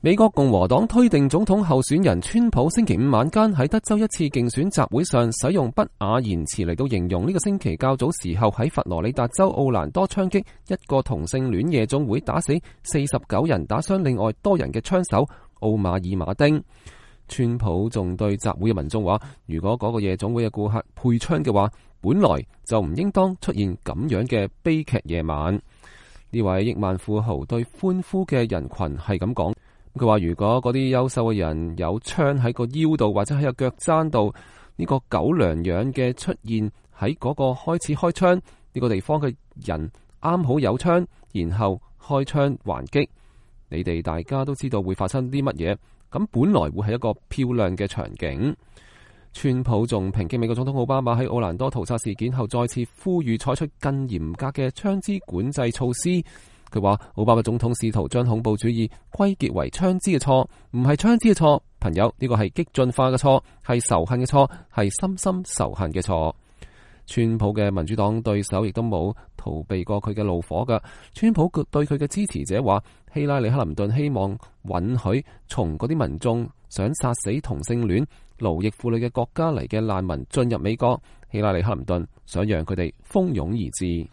美國共和黨推定總統候選人川普星期五晚間喺德州一次競選集會上使用不雅言辭嚟到形容呢個星期較早時候喺佛羅里達州奧蘭多槍擊一個同性戀夜總會打死49人打傷另外多人嘅槍手奧馬爾馬丁。川普仲對集會嘅民眾話，如果嗰個夜總會嘅顧客配槍嘅話，本來就唔應當出現咁樣嘅悲劇夜晚。呢位億萬富豪對歡呼嘅人群係咁講。佢話如果嗰啲優秀嘅人有槍喺個腰度或者喺個腳踭度，呢個狗糧樣嘅出現喺嗰個開始開槍呢個地方嘅人啱好有槍，然後開槍還擊，你哋大家都知道會發生啲乜嘢，咁本來會係一個漂亮嘅場景。川普仲抨擊美國總統奧巴馬喺奧蘭多屠殺事件後再次呼籲採取更嚴格嘅槍支管制措施。佢話奧巴馬總統試圖將恐怖主義歸結為槍支嘅錯，唔係槍支嘅錯，朋友，呢個係激進化嘅錯，係仇恨嘅錯，係深深仇恨嘅錯。川普嘅民主黨對手亦都冇逃避過佢嘅怒火㗎。川普對佢嘅支持者話，希拉里克林頓希望允許從嗰啲民眾想殺死同性戀奴役婦女嘅國家嚟嘅難民進入美國，希拉里克林頓想讓佢哋蜂擁而至。